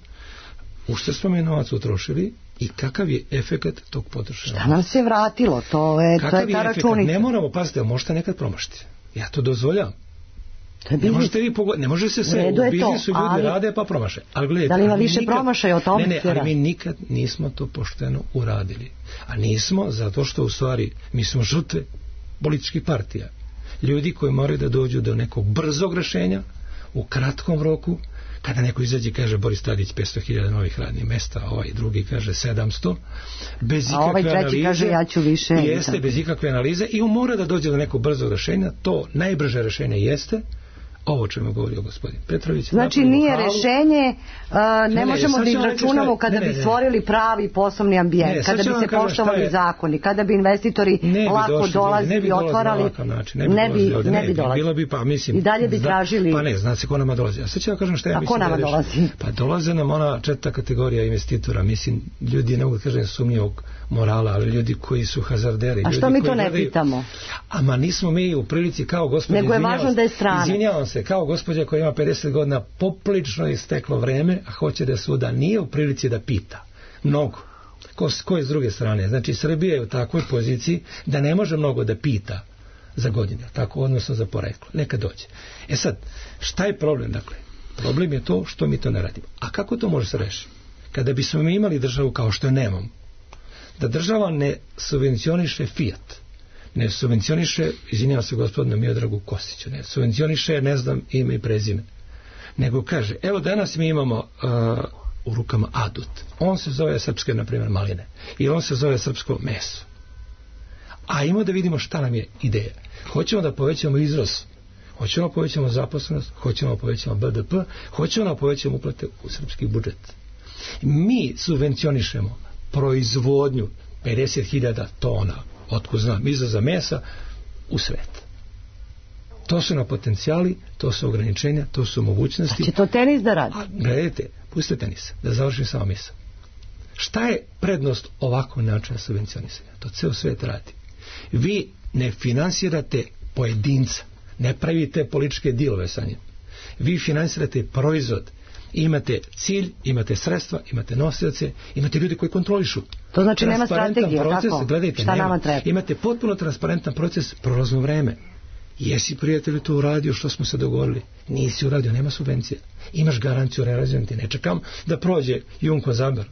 u što smo mi novac utrošili i kakav je efekat tog potrošenja. Šta nam se vratilo? To je ta računica. Ne moramo, pazite, možete nekad promašiti. Ja to dozvoljam. Ne može se sve, u biznisu ljudi rade pa promaše. Ali gledajte, da li ima više promašaja o tome? Ne, ali mi nikad nismo to pošteno uradili. A nismo zato što u stvari mi smo žrtve političkih partija. Ljudi koji moraju da dođu do nekog brzog rešenja u kratkom roku, kada neko izađe i kaže Boris Tadić 500.000 novih radnih mesta, ovaj drugi kaže 700, bez ikakve ovaj treći analize, kaže ja ću više. Jeste, bez ikakve analize i on mora da dođe do nekog brzog rešenja. To najbrže rešenje jeste ovo čemu govorio gospodin Petrović. Znači nije rešenje, ne možemo da izračunamo kada bi stvorili pravi poslovni ambijent, kada bi se poštovali zakoni, kada bi investitori lako dolazili i otvarali, ne bi dolazili. Bilo bi, pa mislim, i dalje bi tražili. Pa ne, znate ko nama dolazi. A sad ću ja kažem šta ja mislim. A ko nama dolazi? Pa dolaze nam ona četvrta kategorija investitora, mislim, ljudi, ne mogu da kažem sumnjivog morala, ali ljudi koji su hazarderi. A što mi to ne pitamo? Ama nismo mi u prilici kao gospodin, nego je važno da je strana. Izvinjavam se, kao gospođa koja ima 50 godina poprilično isteklo vreme, a hoće da suda, nije u prilici da pita mnogo. Ko je s druge strane? Znači Srbija je u takvoj poziciji da ne može mnogo da pita za godine, tako, odnosno za poreklo. Neka dođe. E sad, šta je problem? Dakle, problem je to što mi to ne radimo. A kako to može se rešiti? Kada bismo mi imali državu kao što je nemamo, da država ne subvencioniše Fiat, ne subvencioniše, izvinjavam se gospodinu Miodragu Kostiću, ne subvencioniše, ne znam ime i prezime, nego kaže, evo danas mi imamo u rukama adut, on se zove srpske, na primjer, maline, i on se zove srpsko meso. A imamo da vidimo šta nam je ideja. Hoćemo da povećamo izvoz, hoćemo da povećamo zaposlenost, hoćemo da povećamo BDP, hoćemo da povećamo uplate u srpski budžet. Mi subvencionišemo proizvodnju 50.000 tona, otkud znam, izvoza mesa u svet. To su na potencijali, to su ograničenja, to su mogućnosti. A će to tenis da radi? Gledajte, pustite tenisa, da završim samo misao. Šta je prednost ovakvog načina subvencionisanja? To ceo svet radi. Vi ne finansirate pojedinca, ne pravite političke dilove sa njim. Vi finansirate proizvod. Imate cilj, imate sredstva, imate nosioce, imate ljudi koji kontrolišu. To znači nema strategije, proces, tako? Gledajte, šta nema. Nama treba? Imate potpuno transparentan proces, prolazno vreme. Jesi prijatelju to uradio što smo se dogovorili? Nisi uradio, nema subvencija. Imaš garanciju realizacije, ne čekam da prođe Jumko Zaber,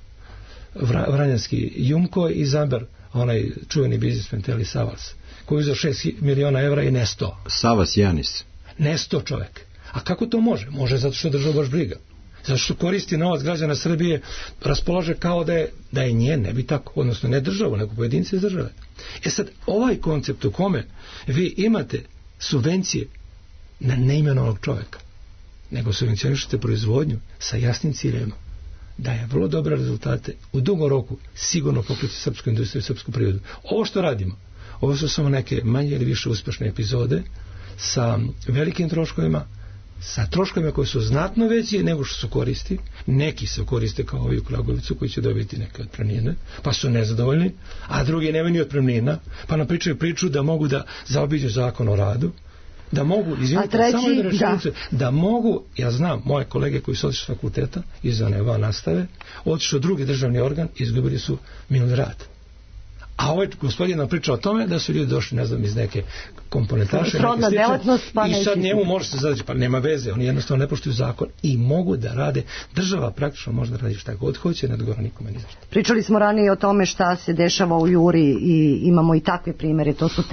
Vranjanski Jumko i Zaber, onaj čuveni biznismen Teli Savas, koji uzeo 6 miliona evra i nesto. Savas Janis. Nesto čovek. A kako to može? Može zato što država baš briga. Zato što koristi novac građana Srbije, raspolaže kao da je njen, ne bi tako, odnosno ne državu, nego pojedince iz države. E sad, ovaj koncept u kome vi imate subvencije na neimenovanog čoveka, nego subvencionišete proizvodnju sa jasnim ciljevima, daje vrlo dobre rezultate, u dugom roku sigurno pokriti srpsku industriju i srpsku privredu. Ovo što radimo, ovo su samo neke manje ili više uspešne epizode sa velikim troškovima, sa troškovima koji su znatno veći nego što su koristi. Neki se koriste kao ovi u Kragujevcu koji će dobiti neke otpremnine, pa su nezadovoljni, a drugi nemaju ni otpremnina, pa nam pričaju priču da mogu da zaobiđu zakon o radu, da mogu, izvinite, samo jednu rečenicu, da mogu, ja znam, moje kolege koji su otišli s fakulteta, izvane van nastave, otišli u drugi državni organ, izgubili su minuli rad. A ovaj gospodin nam priča o tome da su ljudi došli, ne znam, iz neke komponentaše, i sad njemu može se zadati, pa nema veze, oni jednostavno ne poštuju zakon i mogu da rade, država praktično može da radi šta god hoće, ne odgovara nikome ni zašto. Pričali smo ranije o tome šta se dešava u Juri i imamo i takve primere, to su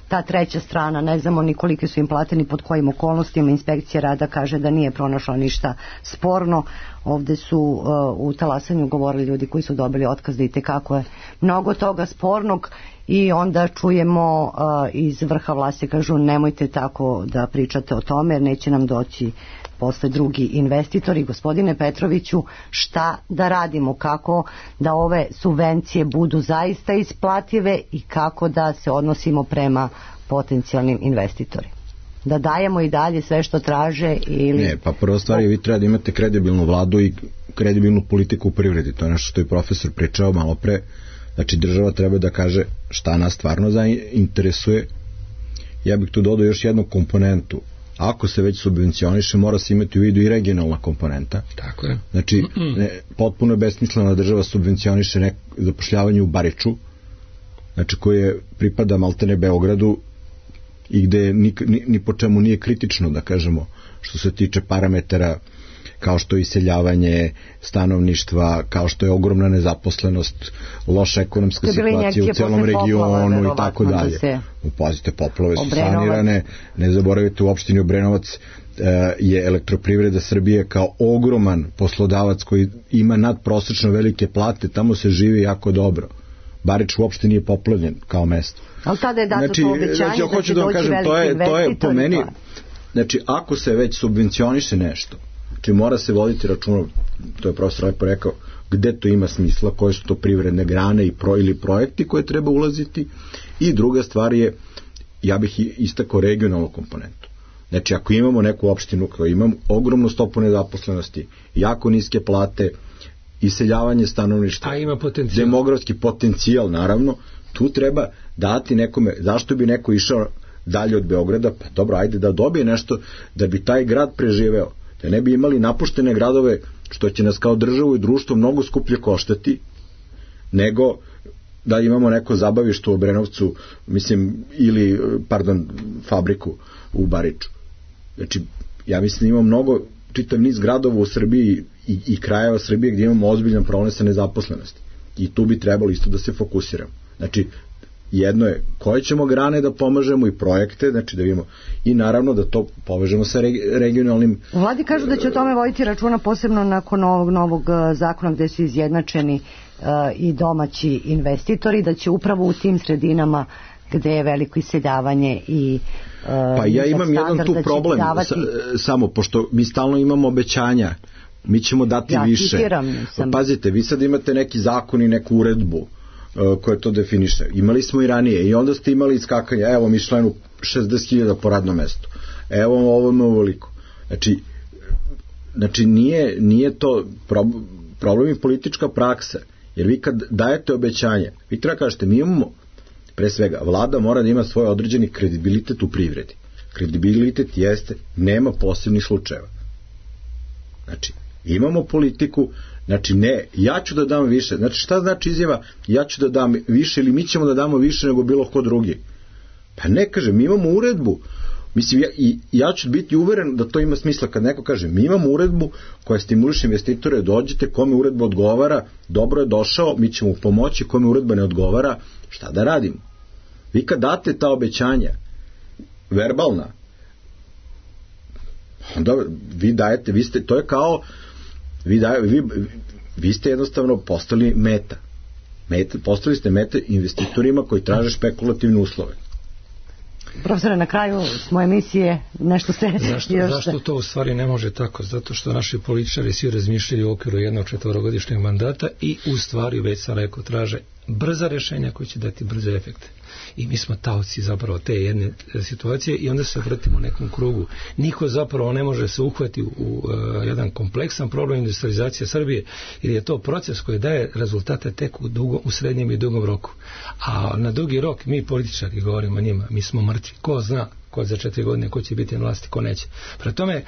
ta treća strana, ne znamo ni kolike su im plate, ni pod kojim okolnostima, inspekcija rada kaže da nije pronašla ništa sporno. Ovde su u talasanju govorili ljudi koji su dobili otkaz da i tekako je mnogo toga spornog i onda čujemo iz vrha vlasti kažu nemojte tako da pričate o tome jer neće nam doći posle drugi investitori. Gospodine Petroviću, šta da radimo, kako da ove subvencije budu zaista isplative i kako da se odnosimo prema potencijalnim investitorima? Da dajemo i dalje sve što traže ili... Ne, pa prva stvar je vi treba da imate kredibilnu vladu i kredibilnu politiku u privredi. To je nešto što je profesor pričao malo pre. Znači država treba da kaže šta nas stvarno interesuje. Ja bih tu dodao još jednu komponentu. Ako se već subvencioniše, mora se imati u vidu i regionalna komponenta. Tako je. Znači, potpuno je besmislena država subvencioniše zapošljavanje u Bariču, znači koje pripada maltene Beogradu, i gde ni po čemu nije kritično, da kažemo, što se tiče parametara kao što je iseljavanje stanovništva, kao što je ogromna nezaposlenost, loša ekonomska situacija u celom regionu i tako dalje. Pazite, poplave su sanirane, ne zaboravite, u opštini Obrenovac je Elektroprivreda Srbije kao ogroman poslodavac koji ima nadprosečno velike plate, tamo se živi jako dobro. Barič uopšte nije poplavljen kao mesto. Ali tada je dato to obećanje da će doći veliki investitor. To je po meni, znači ako se već subvencioniše nešto, znači mora se voditi računom, to je profesor lepo rekao, gde to ima smisla, koje su to privredne grane ili projekti koje treba ulaziti, i druga stvar je, ja bih istakao regionalnu komponentu. Znači ako imamo neku opštinu koja ima ogromnu stopu nezaposlenosti, jako niske plate, iseljavanje stanovništva, demografski potencijal, naravno, tu treba dati nekome, zašto bi neko išao dalje od Beograda, pa dobro, ajde da dobije nešto da bi taj grad preživeo, da ne bi imali napuštene gradove, što će nas kao državu i društvo mnogo skuplje koštati, nego da imamo neko zabavište u Obrenovcu, ili fabriku u Bariču. Znači, ja mislim da imamo mnogo, čitav niz gradova u Srbiji i krajeva Srbije gdje imamo ozbiljan problem sa nezaposlenosti. I tu bi trebalo isto da se fokusiramo. Znači, jedno je koje ćemo grane da pomažemo i projekte, znači da vidimo, i naravno da to povežemo sa regionalnim. U vladi kažu da će o tome voditi računa posebno nakon ovog novog zakona gde su izjednačeni i domaći investitori, da će upravo u tim sredinama gde je veliko iseljavanje i pa ja imam jedan tu problem samo, pošto mi stalno imamo obećanja, mi ćemo dati više. Pazite, vi sad imate neki zakon i neku uredbu koja to definiše. Imali smo i ranije i onda ste imali iskakanje, evo Mišlenu 60.000 po radnom mestu, evo ovo ovoliko. Znači nije to problem i politička praksa, jer vi kad dajete obećanje, vi treba kažete, mi imamo, pre svega, vlada mora da ima svoj određeni kredibilitet u privredi. Kredibilitet jeste, nema posebnih slučajeva. Znači, imamo politiku, znači ne, ja ću da dam više. Znači, šta znači izjava, ja ću da dam više ili mi ćemo da damo više nego bilo ko drugi? Pa ne, kaže, mi imamo uredbu. Mislim, ja ću biti uveren da to ima smisla kad neko kaže, mi imamo uredbu koja stimuliše investitore, dođite, kome uredba odgovara, dobro je došao, mi ćemo pomoći, kome uredba ne odgovara, šta da radimo? Vi kad date ta obećanja, verbalna, onda vi dajete, to je kao, vi ste jednostavno postali meta. Postali ste meta investitorima koji traže špekulativne uslove. Profesore, na kraju smo emisije nešto se... Zašto to u stvari ne može tako? Zato što naši političari svi razmišljaju u okviru jednog 4-godišnjeg mandata i u stvari, već sam rekao, traže brza rješenja koji će dati brze efekte. I mi smo taoci zapravo te jedne situacije i onda se vrtimo u nekom krugu. Niko zapravo ne može se uhvati u jedan kompleksan problem industrializacije Srbije, jer je to proces koji daje rezultate tek u srednjem i dugom roku. A na dugi rok mi političari govorimo njima, mi smo mrtvi. Ko zna ko za 4 godine ko će biti na vlasti, ko neće. Prema tome,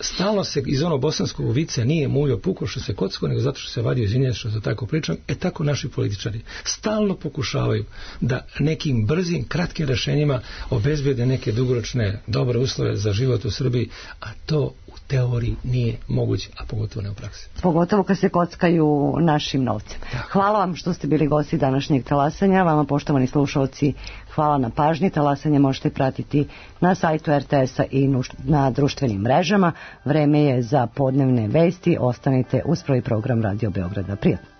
stalno se iz onog bosanskog vice nije muljo puko što se kocko, nego zato što se vadio iz inje, što se tako pričam. Tako naši političari stalno pokušavaju da nekim brzim, kratkim rešenjima obezbede neke dugoročne dobre uslove za život u Srbiji, a to u teoriji nije moguće, a pogotovo ne u praksi. Pogotovo kad se kockaju našim novcem. Hvala vam što ste bili gosti današnjeg talasanja. Vama, poštovani slušalci, hvala na pažnji. Talasanje možete pratiti na sajtu RTS-a i na društvenim mrežama. Vreme je za podnevne vesti. Ostanite uz prvi program Radio Beograda. Prijatno.